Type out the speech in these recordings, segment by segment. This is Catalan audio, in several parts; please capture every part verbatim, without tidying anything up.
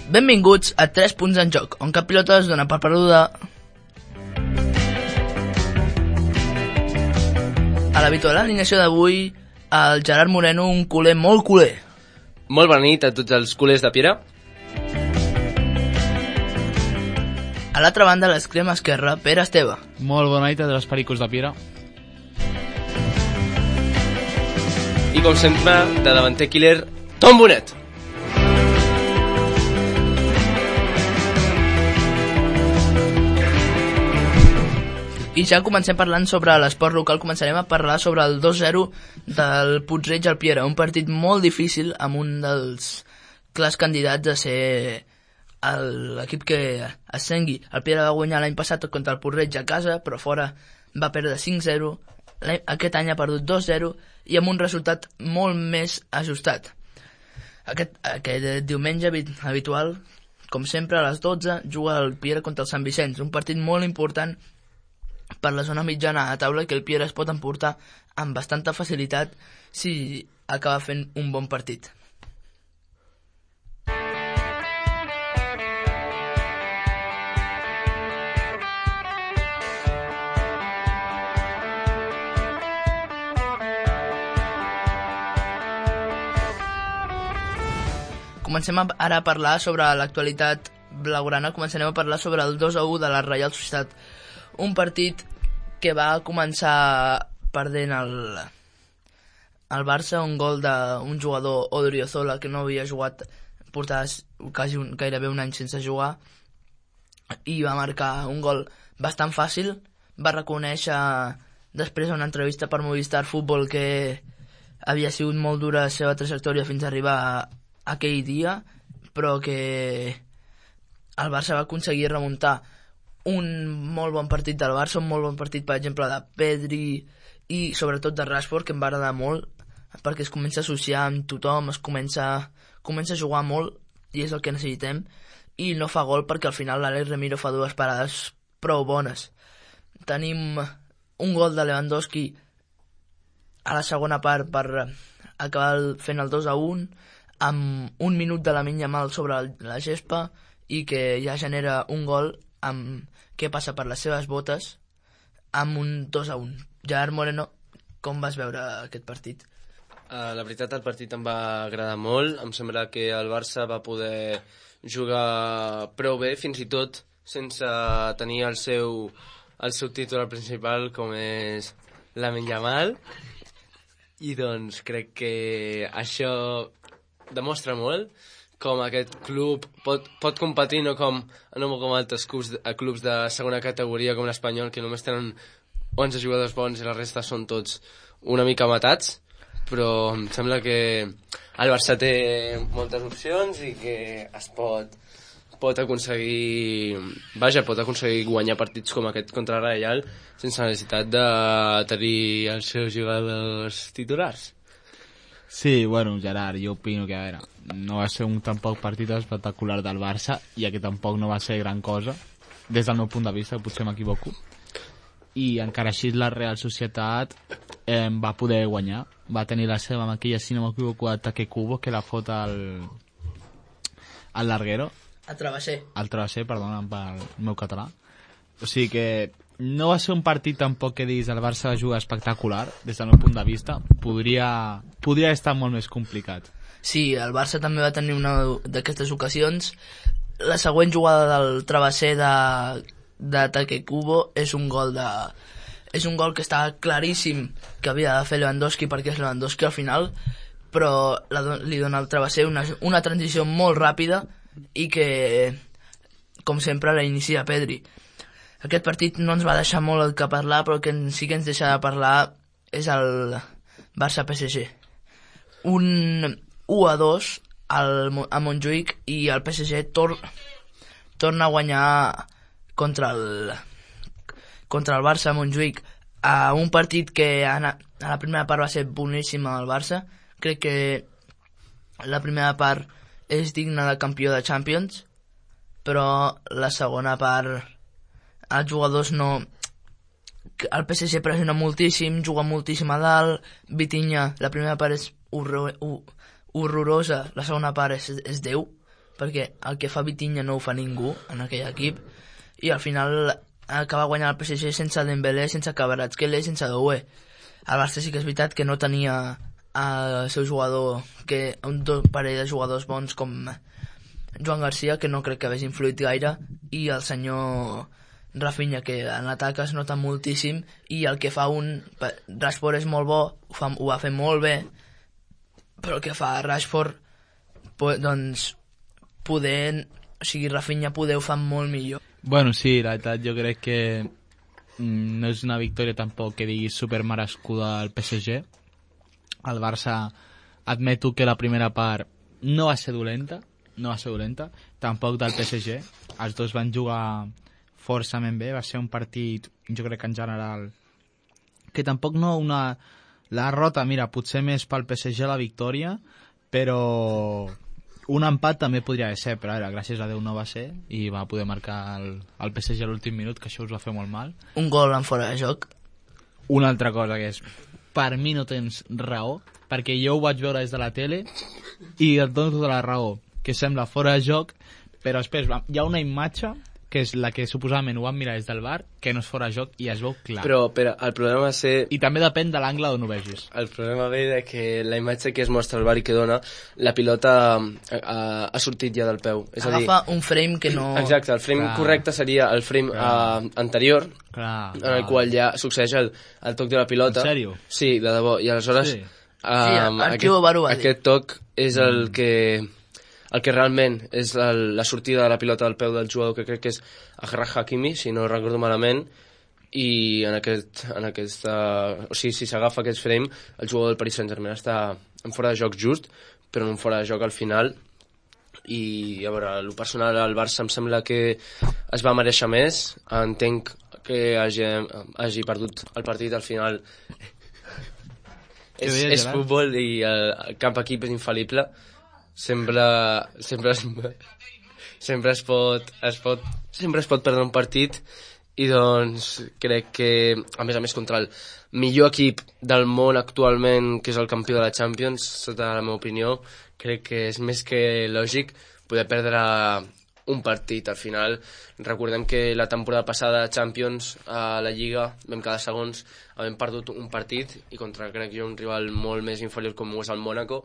Benvinguts a tres punts en joc, on cap pilota es dona per perduda. A l'habitual alineació d'avui, el Gerard Moreno, un culer molt culer. Molt bona nit a tots els culers de Piera. A l'altra banda, l'extrema esquerra, Pere Esteve. Molt bona nit a dels pericos de Piera. I com sempre, de davanter killer, Tom Bonet. I ja comencem parlant sobre l'esport local, començarem a parlar sobre el dos zero del Puig-reig al Piera, un partit molt difícil amb un dels clars candidats a ser l'equip que ascengui. El Piera va guanyar l'any passat contra el Puig-reig a casa, però fora va perdre cinc zero, aquest any ha perdut dos zero i amb un resultat molt més ajustat. Aquest, aquest diumenge habitual, com sempre a les dotze, juga el Piera contra el Sant Vicenç, un partit molt important per la zona mitjana a taula que el Piera es pot emportar amb bastanta facilitat si acaba fent un bon partit. Comencem ara a parlar sobre l'actualitat blaugrana. Començarem a parlar sobre el dos a u de la Reial Societat. Un partit que va començar perdent el, el Barça, un gol d'un jugador, Odriozola, que no havia jugat, portava quasi un, gairebé un any sense jugar, i va marcar un gol bastant fàcil. Va reconèixer després a una entrevista per Movistar Futbol que havia sigut molt dura la seva trajectòria fins a arribar a aquell dia, però que el Barça va aconseguir remuntar un molt bon partit del Barça, un molt bon partit, per exemple, de Pedri i sobretot de Rashford, que em va agradar molt, perquè es comença a associar amb tothom, es comença, comença a jugar molt, i és el que necessitem, i no fa gol perquè al final l'Àlex Ramiro fa dues parades prou bones. Tenim un gol de Lewandowski a la segona part per acabar fent el dos a un, amb un minut de Lamine Yamal sobre la gespa, i que ja genera un gol amb què passa per les seves botes amb un dos a un. Gerard Moreno, com vas veure aquest partit? Uh, la veritat, el partit em va agradar molt. Em sembla que el Barça va poder jugar prou bé, fins i tot sense tenir el seu, el seu titular principal, com és Lamine Yamal. I doncs crec que això demostra molt com aquest club pot, pot competir, no com, no com altres clubs, clubs de segona categoria com l'Espanyol, que només tenen onze jugadors bons i la resta són tots una mica matats, però em sembla que el Barça té moltes opcions i que es pot, pot aconseguir vaja, pot aconseguir guanyar partits com aquest contra el Reial sense necessitat de tenir els seus jugadors titulars. Sí, bueno, Gerard, jo opino que, a veure, no va ser un tampoc partit espectacular del Barça, ja que tampoc no va ser gran cosa, des del meu punt de vista, potser m'equivoco, i encara així la Real Societat eh, va poder guanyar, va tenir la seva amb aquella, si no m'equivoco, ataque Cubo, que la fot al, al larguero. Al travesser. Al travesser, perdona, pel meu català. O sigui que no va ser un partit tampoc que diguis el Barça juga espectacular, des del meu punt de vista. Podria, podria estar molt més complicat. Sí, el Barça també va tenir una d'aquestes ocasions. La següent jugada del travesser de, d'ataque Cubo és un gol de... És un gol que està claríssim que havia de fer Lewandowski perquè és Lewandowski al final, però la, li dona al travesser una, una transició molt ràpida i que, com sempre, la inicia Pedri. Aquest partit no ens va deixar molt el que parlar, però el que sí que ens deixa de parlar és el Barça-P S G. Un u a dos al, a Montjuïc i el P S G tor, torna a guanyar contra el, contra el Barça a Montjuïc, a un partit que a, a la primera part va ser boníssim al Barça. Crec que la primera part és digna de campió de Champions, però la segona part els jugadors no... El P S G pressiona moltíssim, juga moltíssim a dalt. Vitinha, la primera part és horror, horrorosa, la segona part és, és Déu. perquè el que fa Vitinha no ho fa ningú en aquell equip, i al final acaba guanyant el P S G sense Dembélé, sense Kvaratskhelia i sense Doué. El Barça sí que és veritat que no tenia el seu jugador, que un parell de jugadors bons com Joan Garcia, que no crec que hagués influït gaire, i el senyor Rafinha, que en l'atac es nota moltíssim, i el que fa un... Rashford és molt bo, ho, fa, ho va fer molt bé, però el que fa Rashford, doncs, poder... O sigui, Rafinha poder ho fa molt millor. Bueno, sí, la veritat jo crec que mm, no és una victòria tampoc que diguis supermerescuda al P S G. El Barça, admeto que la primera part no va ser dolenta, no va ser dolenta, tampoc del P S G. Els dos van jugar forçament bé, va ser un partit, jo crec que en general, que tampoc no una... La derrota, mira, potser més pel P S G la victòria, però un empat també podria ser, però ara, gràcies a Déu no va ser, i va poder marcar el, el P S G a l'últim minut, que això us va fer molt mal. Un gol en fora de joc. Una altra cosa que és, per mi no tens raó, perquè jo ho vaig veure des de la tele i et dono tota la raó, que sembla fora de joc, però després hi ha una imatge que és la que suposadament ho vam mirar des del bar, que no és fora de joc i es veu clar. Però, però el problema va ser... I també depèn de l'angle on ho vegis. El problema ve de que la imatge que es mostra al bar i que dona, la pilota ha, ha sortit ja del peu. És Agafa a dir, un frame que no... Exacte, el frame clar. correcte seria el frame uh, anterior, Clar, en el qual ja succeeix el, el toc de la pilota. En sèrio? Sí, de debò. I aleshores Sí. um, Sí, Arturo Bar ho va dir. aquest toc és el que... el que realment és la, la sortida de la pilota del peu del jugador, que crec que és Achraf Hakimi, si no recordo malament, i en aquest, en aquesta, o sigui, si s'agafa aquest frame, el jugador del Paris Saint-Germain està en fora de joc just, però en un fora de joc al final, i a veure, el personal al Barça em sembla que es va mereixer més, entenc que hagi, hagi perdut el partit al final. és, és futbol i el, el cap equip és infal·lible, sempre sempre es, sempre es pot es pot sempre es pot perdre un partit, i doncs crec que a més a més contra el millor equip del món actualment, que és el campió de la Champions, sota la meva opinió, crec que és més que lògic poder perdre un partit. Al final recordem que la temporada passada a Champions, a la Lliga, vam quedar segons, havent perdut un partit, i contra, crec jo, un rival molt més inferior com ho és el Mónaco.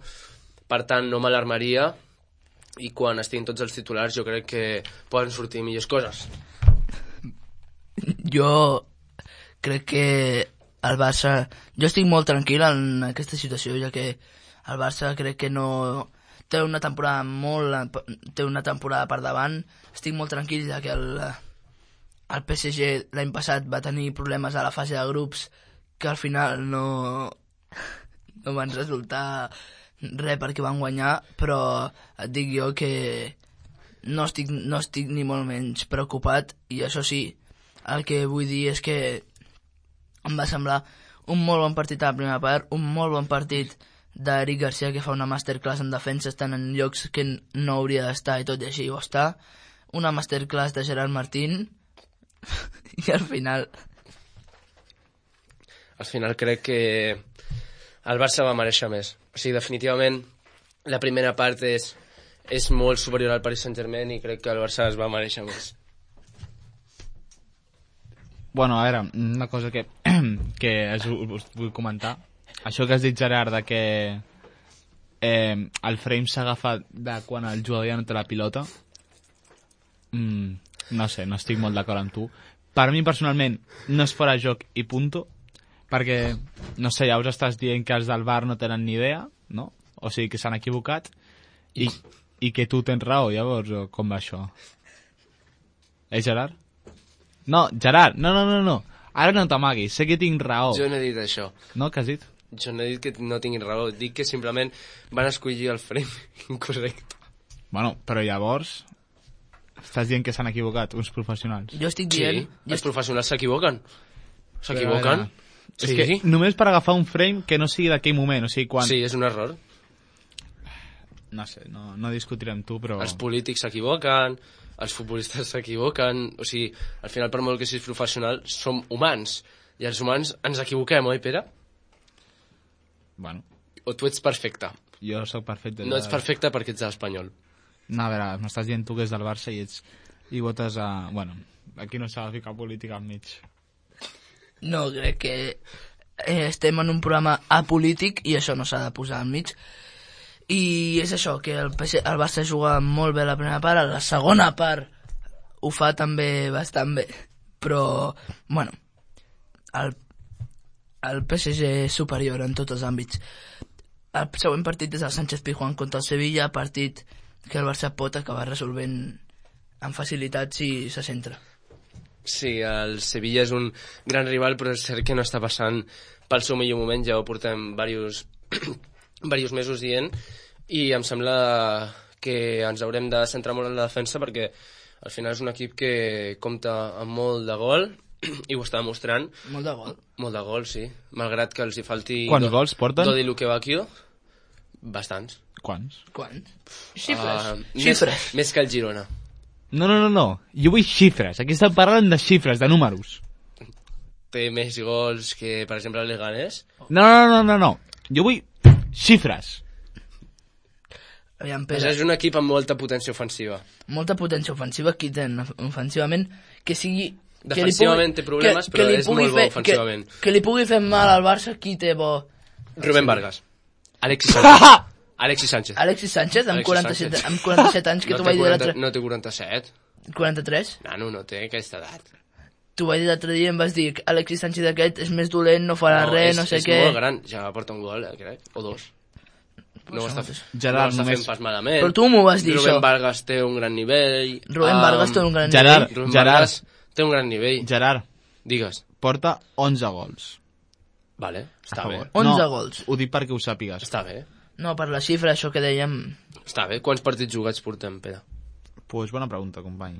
Per tant, no m'alarmaria, i quan estiguin tots els titulars jo crec que poden sortir millors coses. Jo crec que el Barça... Jo estic molt tranquil en aquesta situació, ja que el Barça crec que no... Té una temporada molt... Té una temporada per davant. Estic molt tranquil, ja que el, el P S G l'any passat va tenir problemes a la fase de grups que al final no, no van resultar res perquè van guanyar, però et dic jo que no estic, no estic ni molt menys preocupat, i això sí, el que vull dir és que em va semblar un molt bon partit a la primera part, un molt bon partit d'Eric Garcia, que fa una masterclass en defensa, estant en llocs que no hauria d'estar i tot i així ho està, una masterclass de Gerard Martín, i al final... Al final crec que el Barça va mereixer més. O sigui, definitivament, la primera part és, és molt superior al Paris Saint-Germain, i crec que el Barça es va mereixer més. Bueno, a veure, una cosa que, que us, us vull comentar. Això que has dit, Gerard, de que eh, el frame s'agafa de quan el jugador ja no té la pilota, mm, no sé, no estic molt d'acord amb tu. Per mi, personalment, no és fora de joc i punto, perquè, no sé, ja us estàs dient que els del bar no tenen ni idea, no? O sigui, que s'han equivocat, i, i que tu tens raó, llavors, o com va això? Eh, Gerard? No, Gerard, no, no, no, no. Ara no t'amaguis, sé que tinc raó. Jo no he dit això. No, què has dit? Jo no he dit que no tinguin raó, dic que simplement van escollir el frame incorrecte. Bueno, però llavors estàs dient que s'han equivocat uns professionals. Jo estic dient... Sí, jo els estic... professionals s'equivoquen. S'equivoquen. És Sí. que només per agafar un frame que no sigui d'aquell moment, o sigui, quan... Sí, és un error. No sé, no, no discutiré amb tu, però... Els polítics s'equivoquen, els futbolistes s'equivoquen, o sigui, al final, per molt que siguis professional, som humans, i els humans ens equivoquem, oi, Pere? Bueno, O tu ets perfecte? jo sóc perfecte. No ets perfecte perquè ets de l'Espanyol. No, a veure, m'estàs dient tu que és del Barça i ets i votes a... Bueno, aquí no s'ha de ficar política enmig. No, crec que eh, estem en un programa apolític i això no s'ha de posar enmig. I és això, que el, P S, el Barça juga molt bé la primera part, a la segona part ho fa també bastant bé, però, bueno, el, el P S G és superior en tots els àmbits. El següent partit és el Sánchez Pizjuán contra el Sevilla, partit que el Barça pot acabar resolvent amb facilitat si se centra. Sí, el Sevilla és un gran rival, però és cert que no està passant pel seu millor moment, ja ho portem diversos, diversos mesos dient, i em sembla que ens haurem de centrar molt en la defensa perquè al final és un equip que compta amb molt de gol i ho està demostrant. Molt de gol. Molt de gol, sí. Malgrat que els hi falti... Quants gols porten? Dodi Lukebakio. Bastants. Quants? Quants? Xifres. Uh, Xifres. Més, més que el Girona. No, no, no, no. Jo vull xifres. Aquí estem parlant de xifres, de números. Té més gols que, per exemple, el Leganés. No, no, no, no, no. Jo vull xifres. Aviam, Pere. Pere. És un equip amb molta potència ofensiva. Molta potència ofensiva, qui té ofensivament, que sigui... Defensivament que té problemes, que, però que és molt bo fer, ofensivament. Que, que li pugui fer mal al Barça, qui té bo... Rubén Vargas. Alexis Sánchez. Alexis Sánchez. Alexis Sánchez, amb, Alexis quaranta-set, Sánchez. amb quaranta-set anys, que no t'ho vaig dir quaranta, l'altre... No té quaranta-set. quaranta-tres? Nano, no té aquesta edat. T'ho vaig dir l'altre dia i em vas dir que Alexis Sánchez aquest és més dolent, no farà no, res, és, no sé és què... És molt gran, ja porta un gol, eh, crec, o dos. No ho està, Gerard, no ho està només... fent pas malament. Però tu m'ho vas dir, Rubén això. Vargas té un gran nivell. Rubén um, Vargas té un gran Gerard, nivell. Rubén Gerard. Vargas té un gran nivell. Gerard, Digues. porta onze gols. Vale, està bé. onze no, gols. Ho dic perquè ho sàpigues. Està bé. No, per la xifra, això que dèiem... Està bé. Quants partits jugats portem, Pere? Pues bona pregunta, company.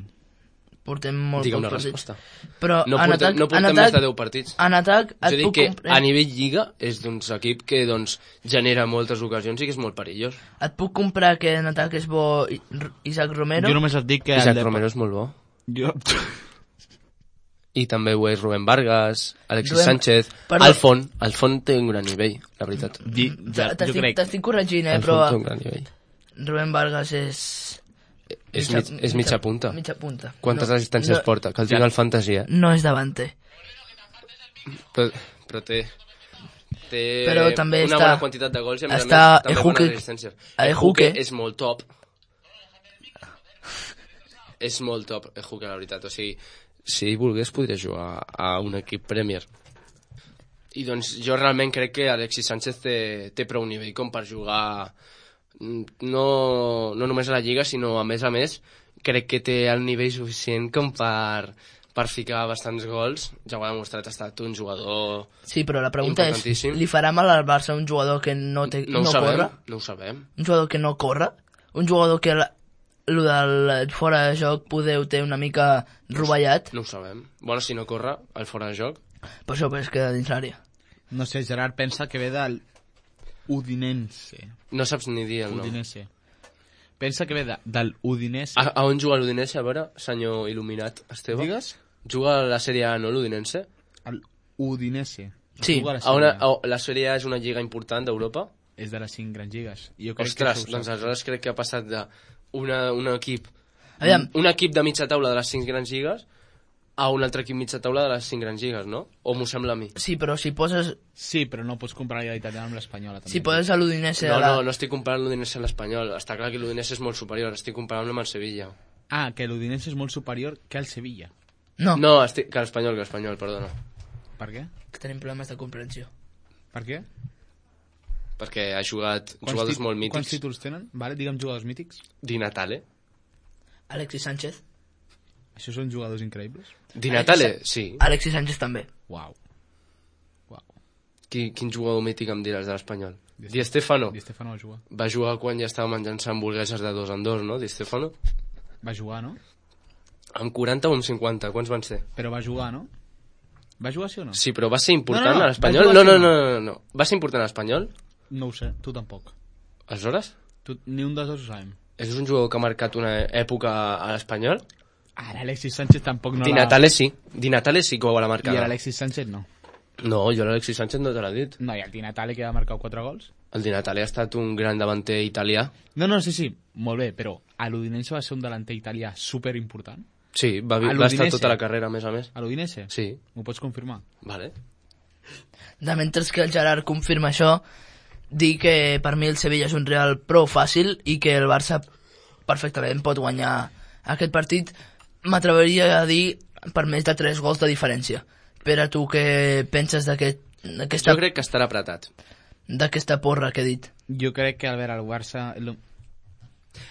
Portem molt Digue'm pocs la partits. resposta. Però No en portem, atac, no portem en atac, més de deu partits. En atac Jo et dic puc que comprar... a nivell lliga és doncs equip que doncs genera moltes ocasions i que és molt perillós. Et puc comprar que en atac és bo I- R- Isaac Romero. Jo només et dic que... Isaac el de- Romero és molt bo. Jo... I també ho és Rubén Vargas, Alexis Rubén- Sánchez, Perdó. Alfon. Alfon té un gran nivell, la veritat. Di, ja, jo T'estic crec... t'estic corregint, eh, Alfon però té un gran nivell. Rubén Vargas és... És, mig, és mitja punta. Mitja punta. Quantes No, assistències no, porta? Que el tinc al fantasia. No és davanter. Però, però té... Té Però també una està- bona quantitat de gols i a més a està més també Ejuke- bones assistències. Ejuke. és molt top. És molt top, Ejuke, la veritat. O sigui, si ell volgués podria jugar a un equip Premier. I doncs jo realment crec que Alexis Sánchez té, té prou nivell com per jugar no, no només a la Lliga, sinó a més a més crec que té el nivell suficient com per, per ficar bastants gols. Ja ho ha demostrat, ha estat un jugador... Sí, però la pregunta és, Importantíssim. li farà mal al Barça un jugador que no, té, No, no, ho sabem, corre? no ho sabem. Un jugador que no corre? Un jugador que la, lo del fora de joc podeu té una mica rovellat? No ho sabem. Bueno, si no corre, el fora de joc... Per això es queda dins l'àrea. No sé, Gerard pensa que ve del Udinense. No saps ni dir el nom. Udinese. Pensa que ve de, del Udinese. A, a on juga l'Udinese, a veure, senyor il·luminat Esteve? Digues? Juga a la Sèrie A, no, l'Udinense? El Udinese. Sí. Juga a la A una, Sèrie A. a, la Sèrie A és una lliga important d'Europa? És de les cinc grans lligues. I jo crec Ostres, que això ho doncs sap. aleshores crec que ha passat de una, un equip Aviam. un equip de mitja taula de les cinc grans lligues a un altre equip mitja taula de les cinc grans lligues, no? O m'ho sembla a mi? Sí, però si poses, Sí, però no pots comparar la italiana amb l'espanyola. també. si poses a l'Udinese No, a la... no, no estic comparant l'Udinese amb l'Espanyol. Està clar que l'Udinese és molt superior. Estic comparant amb el Sevilla. Ah, que l'Udinese és molt superior que el Sevilla. No, No, estic, que l'Espanyol, que l'Espanyol, perdona. Per què? que tenim problemes de comprensió. Per què? Perquè ha jugat Quants jugadors tit- molt Quants mítics. títols tenen? Vale, digue'm jugadors mítics. Di Natale. Alexis Sánchez. Això són jugadors increïbles? Di Natale, sí. Alexis Sánchez també. Uau. Uau. Qui, quin jugador mític em diràs de l'Espanyol? Di Stefano. Di Stefano va jugar. Va jugar quan ja estava menjant-se hamburgueses de dos en dos, no? Di Stefano. Va jugar, no? Amb quaranta o amb cinquanta, quants van ser? Però va jugar, no? Va jugar sí o no? Sí, però va ser important No, no, no, a l'Espanyol? va No, jugar no, sí o no, no? no, no. Va ser important a l'Espanyol? No ho sé, tu tampoc. Aleshores? Tu, ni un dels dos ho sabem. És un jugador que ha marcat una època a l'Espanyol? Ara Alexis Sánchez tampoc no Di l'ha... Natale sí. Di Natale sí que ho ha marcat. I l'Alexis Sánchez no. No, jo l'Alexis Sánchez no te l'ha dit. No, i el Di Natale que ha marcat quatre gols. El Di Natale ha estat un gran davanter italià. No, no, sí, sí, molt bé, però a l'Udinese va ser un delanter italià superimportant. Sí, va, A va estar l'Udinese? tota la carrera, a més a més. A l'Udinese? Sí. M'ho pots confirmar? Vale. De mentre que el Gerard confirma això, dir que per mi el Sevilla és un Real prou fàcil i que el Barça perfectament pot guanyar aquest partit. M'atreviria a dir per més de tres gols de diferència. Pere, tu què penses d'aquesta Jo crec que estarà apretat. d'aquesta porra que he dit? Jo crec que, a veure, el Barça... Lo...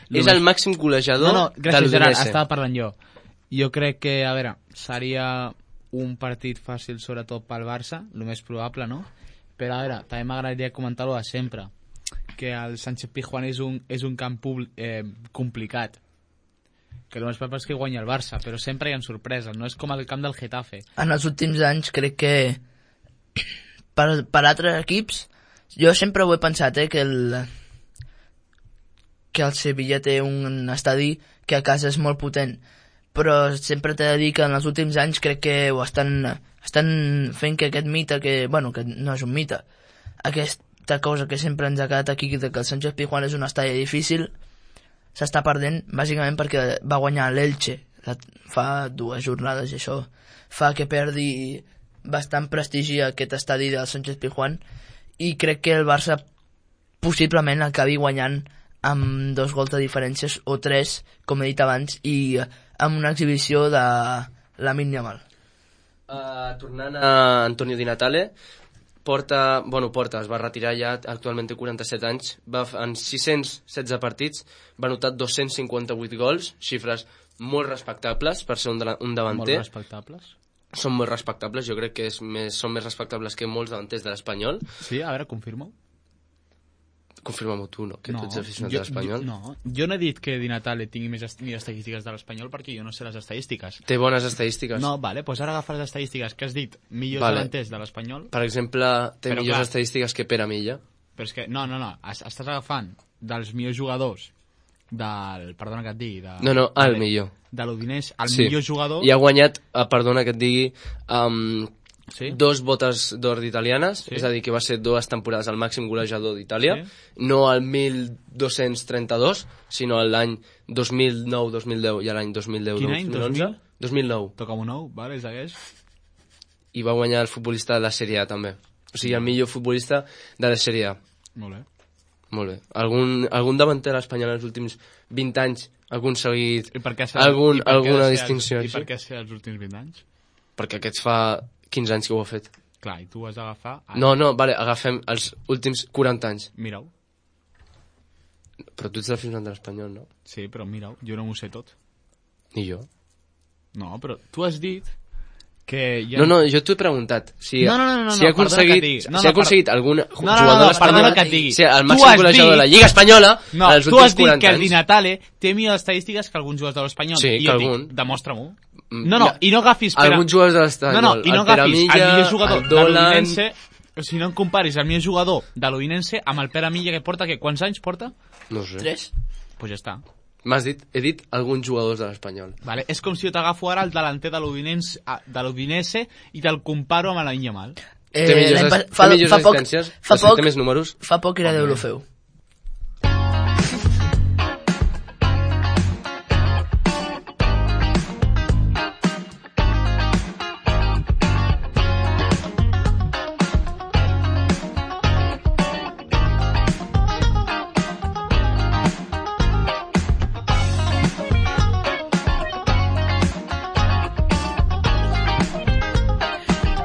Lo és el màxim golejador no, no, de gràcies, Gerard, l'Udinese. estava parlant jo. Jo crec que, a veure, seria un partit fàcil, sobretot pel Barça, el més probable, no? Però, a veure, també m'agradaria comentar-ho de sempre, que el Sánchez Pizjuán és un, és un camp publi, eh, complicat, que el més probable és que guanyi el Barça, però sempre hi ha sorpreses, no és com el camp del Getafe. En els últims anys crec que per, per altres equips jo sempre ho he pensat, eh, que el que el Sevilla té un estadi que a casa és molt potent, però sempre t'he de dir que en els últims anys crec que ho estan, estan fent que aquest mite, que, bueno, que no és un mite, aquesta cosa que sempre ens ha quedat aquí, de que el Sánchez Pizjuán és un estadi difícil, s'està perdent bàsicament perquè va guanyar l'Elche fa dues jornades i això fa que perdi bastant prestigi aquest estadi del Sánchez Pizjuán, i crec que el Barça possiblement acabi guanyant amb dos gols de diferències o tres, com he dit abans, i amb una exhibició de Lamine Yamal. Uh, tornant a Antonio Di Natale, porta, bueno, porta, es va retirar ja, actualment té quaranta-set anys, va, en sis-cents setze partits va anotar dos-cents cinquanta-vuit gols, xifres molt respectables per ser un, un davanter. Molt respectables. Són molt respectables, jo crec que és més, són més respectables que molts davanters de l'Espanyol. Sí, a veure, confirma-ho. Confirma-m'ho tu, no? Que no, tu ets aficionat jo, de l'Espanyol. Jo, no, jo no he dit que Di Natale tingui més, est més estadístiques de l'Espanyol perquè jo no sé les estadístiques. Té bones estadístiques. No, vale, doncs ara agafa les estadístiques que has dit, millors Vale. davanters de l'Espanyol. Per exemple, té Però millors clar. estadístiques que Pere Milla. Però és que, no, no, no, es, estàs agafant dels millors jugadors del, perdona que et digui... De, No, no, el de, millor. De l'Udinese, el Sí. millor jugador... I ha guanyat, eh, perdona que et digui, um, Sí? dos botes d'or d'italianes, Sí. és a dir, que va ser dues temporades el màxim golejador d'Itàlia, Sí. no el mil dos-cents trenta-dos, sinó l'any dos mil nou dos mil deu i l'any dos mil deu Quin dos any? mil onze. dos mil nou. Toca un nou, vale, segueix. I va guanyar el futbolista de la Sèrie A, també. O sigui, el millor futbolista de la Sèrie A. Molt bé. Molt bé. Algun, algun davanter espanyol en els últims vint anys ha aconseguit I per què ser, algun, i per què alguna ser distinció els, I així? per què ser els últims vint anys? Perquè aquests fa quinze anys que ho ha fet. Clar, i tu ho has d'agafar... Ara. No, no, vale, agafem els últims quaranta anys. Mira-ho. Però tu ets l'aficionat de l'Espanyol, no? Sí, però mira-ho, jo no m'ho sé tot. Ni jo. No, però tu has dit que... Hi ha... No, no, jo t'ho he preguntat. Si, No, no, no, no, si ha no, perdona que et aconseguit, digui. No, si ha no, aconseguit algun No, no, no, jugador no, de l'Espanyol, perdona que et digui. sí, el Tu màxim has golejador de la dit- Lliga Espanyola No, en els tu últims has dit quaranta que el Di anys. Natale té millors estadístiques que alguns jugadors de l'Espanyol. Sí, I que jo et dic, algun. Demostra-m'ho. Mm, No, no, ja. i no agafis... Per... Alguns jugadors de l'Espanyol. No, no, i no el Pere agafis Milla, el millor jugador el de Dolan... l'Udinense... O sigui, no em comparis el millor jugador de l'Udinense amb el Pere Milla, que porta, que quants anys porta? No ho sé. Tres? Doncs pues ja està. M'has dit, he dit alguns jugadors de l'Espanyol. Vale? És com si jo t'agafo ara el delanter de l'Udinense ah, de l'Udinese i te'l comparo amb la Yamal. Eh, té millors, l'any as- pas- té fa, millors fa poc, assistències, fa de fet, poc, té més números. fa poc era d'Eurofeu.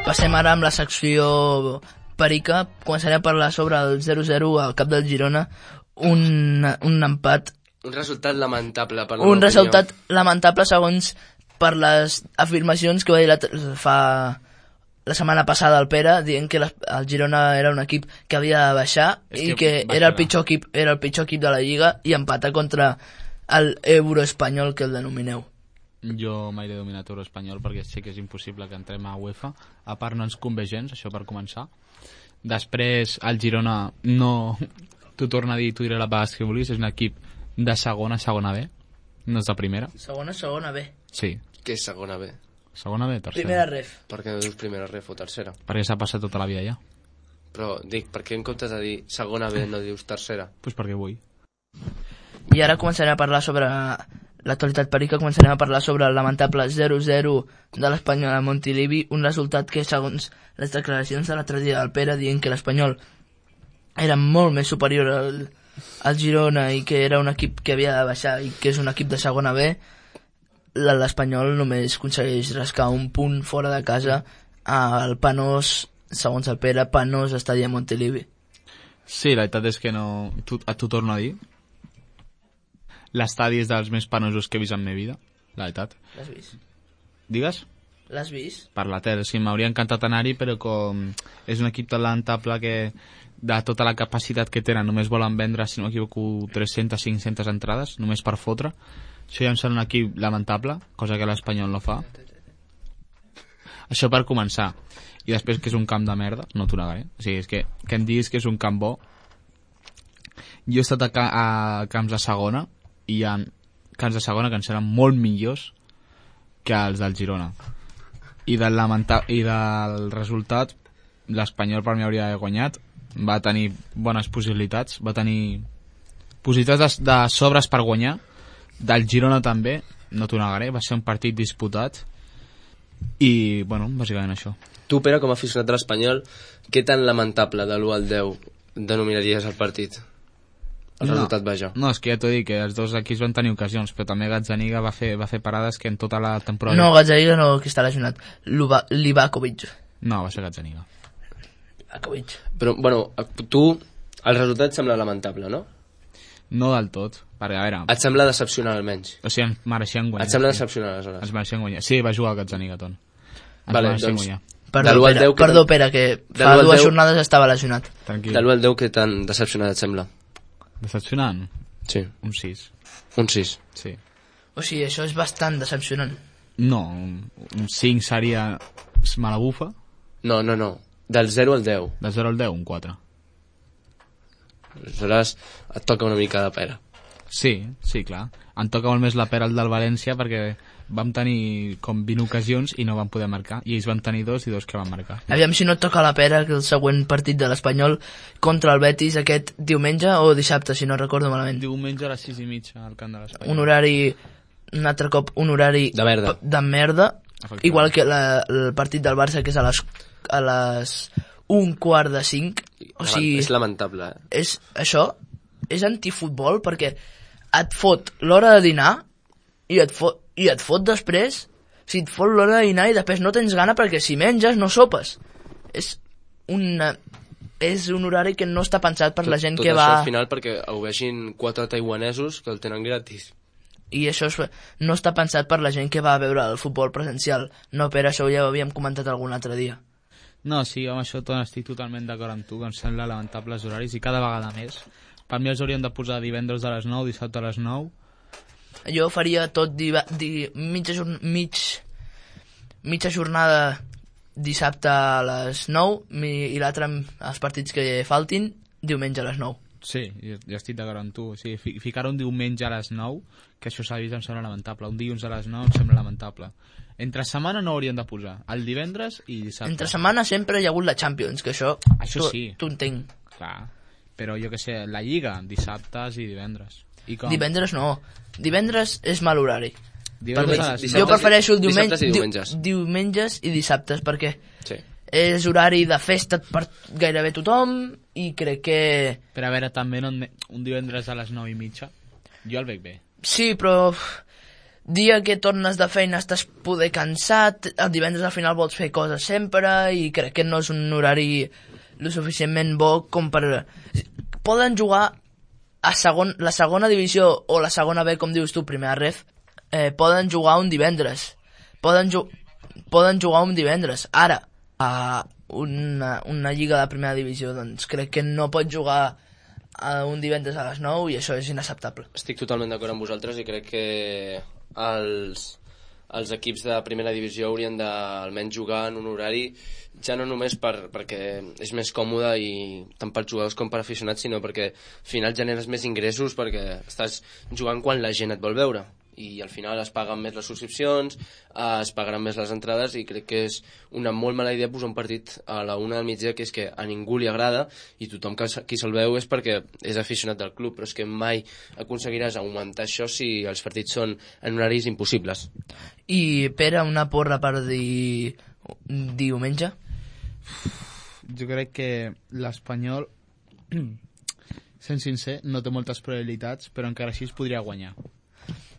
Passem ara amb la secció perica. Començarem a parlar sobre el zero zero al cap del Girona. Un, un empat, Un resultat lamentable per la un meva resultat opinió. lamentable segons per les afirmacions que va dir la, fa la setmana passada el Pere, dient que la, el Girona era un equip que havia de baixar És i que que baixarà. era el pitjor equip, era el pitjor equip de la Lliga, i empata contra el Euroespanyol, que el denomineu. Jo mai he dominat Euroespanyol perquè sé que és impossible que entrem a UEFA. A part no ens convé gens, això per començar. Després el Girona no... T'ho torno a dir, t'ho diré la vegada que vulguis, és un equip de segona, segona B, no és de primera. Segona, segona B. Sí, Que és segona B. segona B, tercera. Primera ref. Per què no dius primera ref o tercera? Perquè s'ha passat tota la vida ja. Però dic, per què en comptes de dir segona B no dius tercera? Pues perquè vull. I ara començarem a parlar sobre l'actualitat perica, començarem a parlar sobre el lamentable zero zero de l'Espanyol a Montilivi, un resultat que, segons les declaracions de l'altre dia del Pere, dient que l'Espanyol era molt més superior al, al Girona i que era un equip que havia de baixar i que és un equip de segona B, l'Espanyol només aconsegueix rascar un punt fora de casa al penós, segons el Pere, penós estadi a Montilivi. Sí, la veritat és que no... Tu, a tu torno a dir. L'estadi és dels més penosos que he vist en la meva vida, la veritat. L'has vist? Digues? L'has vist? Per la tele, sí, m'hauria encantat anar-hi, però com és un equip tan lamentable que de tota la capacitat que tenen només volen vendre, si no m'equivoco, tres-centes a cinc-centes entrades, només per fotre. Això ja em sembla un equip lamentable, cosa que l'Espanyol no fa. Això per començar. I després que és un camp de merda, no t'ho negaré. O sigui, és que, que em diguis que és un camp bo. Jo he estat a, ca a camps de segona i hi ha camps de segona que ens seran molt millors que els del Girona. I del, lamenta i del resultat, l'Espanyol per mi hauria d'haver guanyat. Va tenir bones possibilitats, va tenir possibilitats de, de sobres per guanyar. Del Girona també, no t'ho negaré, va ser un partit disputat i, bueno, bàsicament això. Tu, Pere, com a aficionat de l'Espanyol, què tan lamentable de l'u al deu denominaries el partit? El no, resultat, vaja. No, és que ja t'ho dic, que els dos equips van tenir ocasions, però també Gazzaniga va fer, va fer parades que en tota la temporada... No, Gazzaniga no, que està lesionat. Livakovic. No, va ser Gazzaniga. Livakovic. Però, bueno, tu, el resultat et sembla lamentable, no? No del tot, perquè a veure... Et sembla decepcionant, almenys? O sigui, ens mereixien guanyar. Et sembla decepcionant, aleshores? Ens mereixien guanyar. Sí, va jugar el Gazzaniga, Ton. Ens vale, mereixien doncs... guanyar. Perdó, Pere, deu, perdó, Pere, que fa dues jornades estava lesionat. Tranquil. De l'u al deu, què tan decepcionat et sembla? Decepcionant? Sí. Un sis. Un sis? Sí. O sigui, això és bastant decepcionant. No, un, un cinc seria mala bufa. No, no, no. Del zero al deu. Del zero al deu, un quatre. Aleshores et toca una mica de pera. Sí, sí, clar. Em toca molt més la pera el del València perquè vam tenir com vint ocasions i no vam poder marcar. I ells van tenir dos i dos que van marcar. Aviam si no et toca la pera que el següent partit de l'Espanyol contra el Betis aquest diumenge o dissabte, si no recordo malament. Diumenge a les sis i mitja al camp de l'Espanyol. Un horari, un altre cop, un horari de merda, de merda igual que la, el partit del Barça, que és a les, a les un quart de cinc. O sigui, és lamentable, eh? És, això és antifutbol perquè et fot l'hora de dinar i et fot, i et fot després, o sigui, et fot l'hora de dinar i després no tens gana perquè si menges no sopes. És una, és un horari que no està pensat per tot, la gent tot que va... va... Tot això al final perquè ho vegin quatre taiwanesos que el tenen gratis. I això és, no està pensat per la gent que va a veure el futbol presencial. No, per això ja ho havíem comentat algun altre dia. No, sí, amb això tot estic totalment d'acord amb tu, que em sembla lamentables horaris i cada vegada més. Per mi els haurien de posar divendres a les nou, dissabte a les nou. Jo faria tot di, di, mitja, jorn, mig, mitja jornada dissabte a les nou mi, i l'altre els partits que faltin diumenge a les nou. Sí, jo, jo estic d'acord amb tu. O sigui, fi, ficar un diumenge a les nou, que això s'ha vist, em sembla lamentable. Un dilluns a les nou em sembla lamentable. Entre setmana no haurien de posar. El divendres i dissabte. Entre setmana sempre hi ha hagut la Champions, que això, això tu, sí. tu entenc. Clar, però jo que sé, la Lliga, dissabtes i divendres. I com? Divendres no. Divendres és mal horari. Divendres a les jo prefereixo el diumenge, dissabtes i diumenges. Di, diumenges i dissabtes, perquè sí. És horari de festa per gairebé tothom i crec que... Però a veure, també no, un divendres a les nou i mitja, jo el veig bé. Sí, però dia que tornes de feina estàs poder cansat, el divendres al final vols fer coses sempre i crec que no és un horari lo suficientment bo com per... Poden jugar a segon, la segona divisió o la segona B, com dius tu, primera ref, eh, poden jugar un divendres. Poden, ju poden jugar un divendres. Ara, a una, una lliga de primera divisió, doncs crec que no pot jugar a un divendres a les nou i això és inacceptable. Estic totalment d'acord amb vosaltres i crec que els, els equips de primera divisió haurien d'almenys jugar en un horari ja no només per, perquè és més còmode i tant per jugadors com per aficionats, sinó perquè al final generes més ingressos perquè estàs jugant quan la gent et vol veure i al final es paguen més les subscripcions, eh, es pagaran més les entrades, i crec que és una molt mala idea posar un partit a la una del migdia, que és que a ningú li agrada, i tothom que qui se'l veu és perquè és aficionat del club, però és que mai aconseguiràs augmentar això si els partits són en horaris impossibles. I Pere, una porra per dir diumenge? Jo crec que l'Espanyol, sent sincer, no té moltes probabilitats, però encara així es podria guanyar.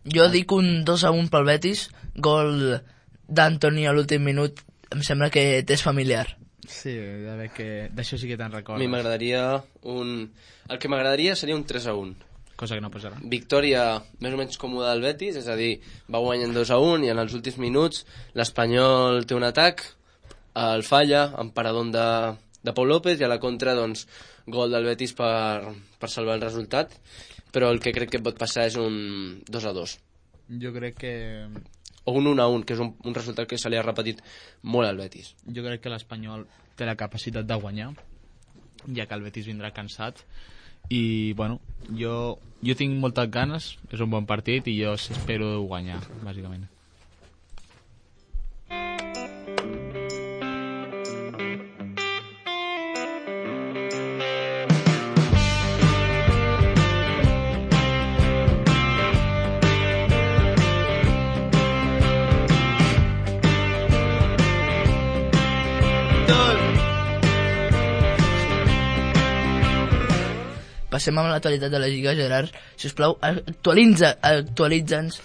Jo dic un dos a un pel Betis, gol d'Antoni a l'últim minut, em sembla que t'és familiar. Sí, de veure que d'això sí que te'n A recordes. mi m'agradaria un... El que m'agradaria seria un tres a un. Cosa que no passarà. Victòria més o menys còmoda del Betis, és a dir, va guanyant dos a un i en els últims minuts l'Espanyol té un atac, el falla, amb paradón de, de Pau López, i a la contra, doncs, gol del Betis per, per salvar el resultat, però el que crec que pot passar és un dos a dos. Jo crec que... O un un a un, que és un, un resultat que se li ha repetit molt al Betis. Jo crec que l'Espanyol té la capacitat de guanyar, ja que el Betis vindrà cansat. I, bueno, jo, jo tinc moltes ganes, és un bon partit i jo espero guanyar, bàsicament. Passem amb l'actualitat de la Lliga, Gerard. Si us plau, actualitza, actualitza'ns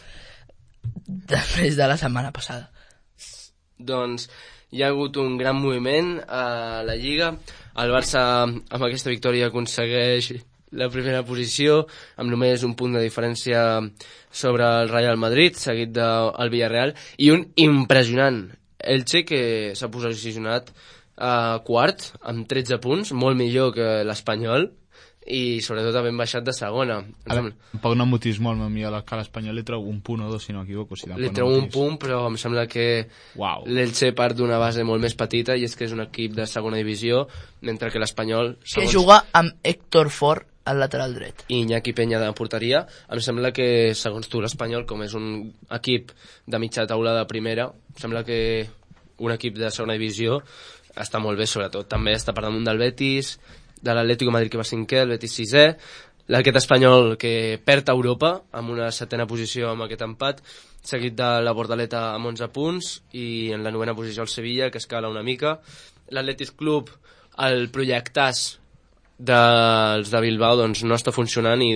després de la setmana passada. Doncs hi ha hagut un gran moviment a la Lliga. El Barça, amb aquesta victòria, aconsegueix la primera posició, amb només un punt de diferència sobre el Real Madrid, seguit del Villarreal, i un impressionant Elche, que s'ha posicionat a quart, amb tretze punts, molt millor que l'Espanyol, i sobretot havent baixat de segona. Tampoc no motis molt, millor que l'Espanyol li treu un punt o dos, si no m'equivoco. Si li treu un punt, però em sembla que wow. l'Elche part d'una base molt més petita, i és que és un equip de segona divisió, mentre que l'Espanyol... Que juga amb Héctor Fort al lateral dret. I Iñaki Peña de porteria. Em sembla que, segons tu, l'Espanyol, com és un equip de mitja taula de primera, em sembla que un equip de segona divisió està molt bé, sobretot. També està per damunt del Betis, de l'Atlético de Madrid, que va cinquè, el Betis sisè, l'Arquet Espanyol, que perd a Europa amb una setena posició amb aquest empat, seguit de la Bordaleta amb onze punts, i en la novena posició el Sevilla, que escala una mica. L'Atlètic Club, el projectàs dels de Bilbao, doncs no està funcionant i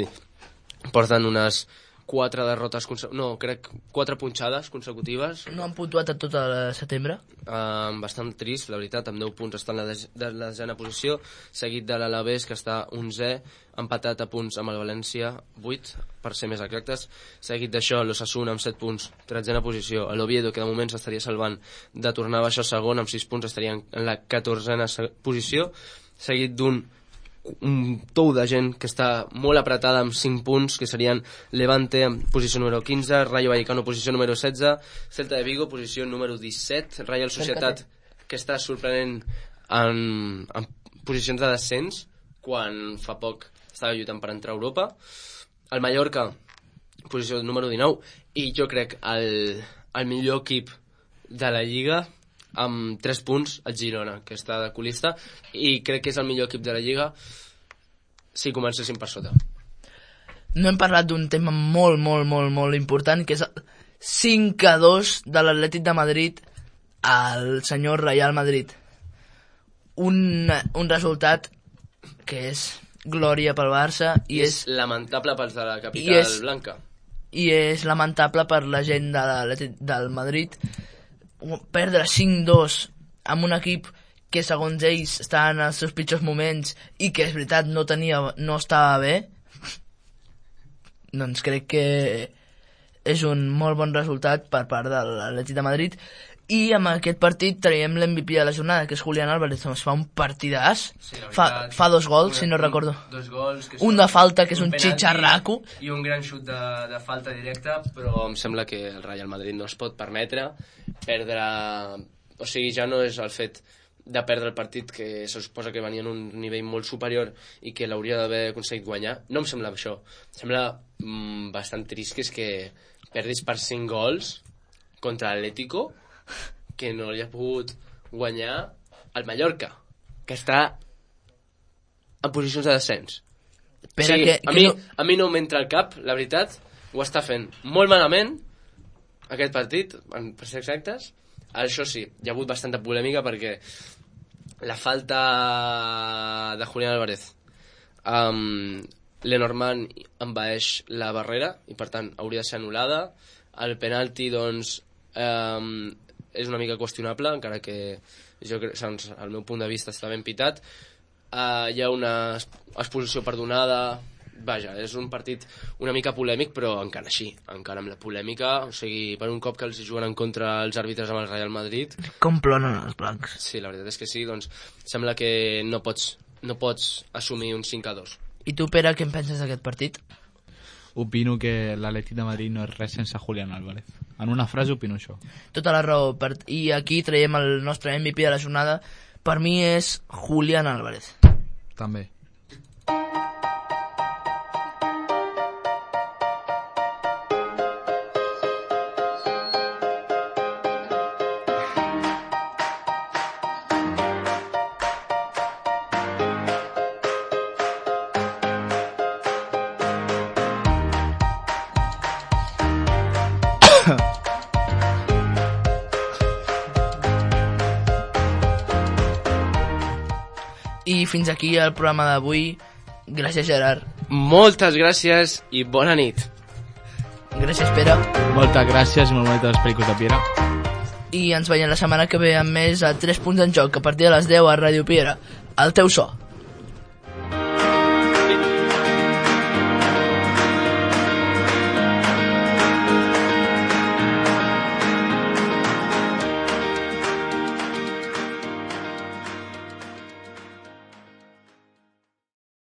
porten unes quatre derrotes, no, crec quatre punxades consecutives. No han puntuat a tot el setembre? Uh, bastant trist, la veritat, amb deu punts està en la, de, de la desena posició, seguit de l'Alavés, que està onzè, empatat a punts amb el València, vuit, per ser més exactes, seguit d'això l'Osasuna amb set punts, tretzena posició, l'Oviedo, que de moment s'estaria salvant de tornar a baixar segon, amb sis punts estaria en la catorzena posició, seguit d'un un tou de gent que està molt apretada amb cinc punts, que serien Levante en posició número quinze, Rayo Vallecano posició número setze, Celta de Vigo posició número disset, Real Societat, que està sorprenent en, en posicions de descens quan fa poc estava lluitant per entrar a Europa, el Mallorca posició número dinou, i jo crec el, el millor equip de la Lliga amb tres punts, el Girona, que està de colista, i crec que és el millor equip de la Lliga si comencéssim per sota. No hem parlat d'un tema molt, molt, molt, molt important, que és el cinc a dos de l'Atlètic de Madrid al senyor Real Madrid. Un, un resultat que és glòria pel Barça i, I és, és lamentable pels de la capital és, blanca. I és lamentable per la gent de l'Atlètic del Madrid perdre cinc dos amb un equip que segons ells està en els seus pitjors moments i que és veritat no tenia, no estava bé, doncs crec que és un molt bon resultat per part de l'Atlètic de Madrid. I amb aquest partit traiem l'M V P de la jornada, que és Julián Álvarez, es fa un partidàs, sí, fa, fa dos gols, una, si no recordo, dos gols, que un de falta, que és un, un xitxarraco, i un gran xut de, de falta directa, però em sembla que el Real Madrid no es pot permetre perdre, o sigui, ja no és el fet de perdre el partit, que se suposa que venia en un nivell molt superior i que l'hauria d'haver aconseguit guanyar. No em sembla això, em sembla mm, bastant trist, que és que perdis per cinc gols contra l'Atlético, que no li ha pogut guanyar el Mallorca, que està en posicions de descens. Espera, sí, que, a, que mi, no... a mi no m'entra al cap, la veritat, ho està fent molt malament aquest partit, per ser exactes. Això sí, hi ha hagut bastanta polèmica perquè la falta de Julián Álvarez, um, Lenormand envaeix la barrera i per tant hauria de ser anul·lada. El penalti, doncs, um, és una mica qüestionable, encara que jo crec, segons el meu punt de vista, està ben pitat. Uh, hi ha una exposició perdonada. Vaja, és un partit una mica polèmic, però encara així, encara amb la polèmica, o sigui, per un cop que els juguen en contra els àrbitres amb el Real Madrid. Com plonen els blancs. Sí, la veritat és que sí, doncs sembla que no pots, no pots assumir un cinc a dos. I tu, Pere, què en penses d'aquest partit? Opino que l'Atlètic de Madrid no és res sense Julián Álvarez. En una frase opino això. Tota la raó. Per... I aquí traiem el nostre M V P de la jornada. Per mi és Julián Álvarez. També. I fins aquí el programa d'avui. Gràcies, Gerard. Moltes gràcies i bona nit. Gràcies, Pere. Moltes gràcies i molt bonites els pericos de Piera. I ens veiem la setmana que ve amb més a tres punts en joc a partir de les deu a Ràdio Piera. El teu so.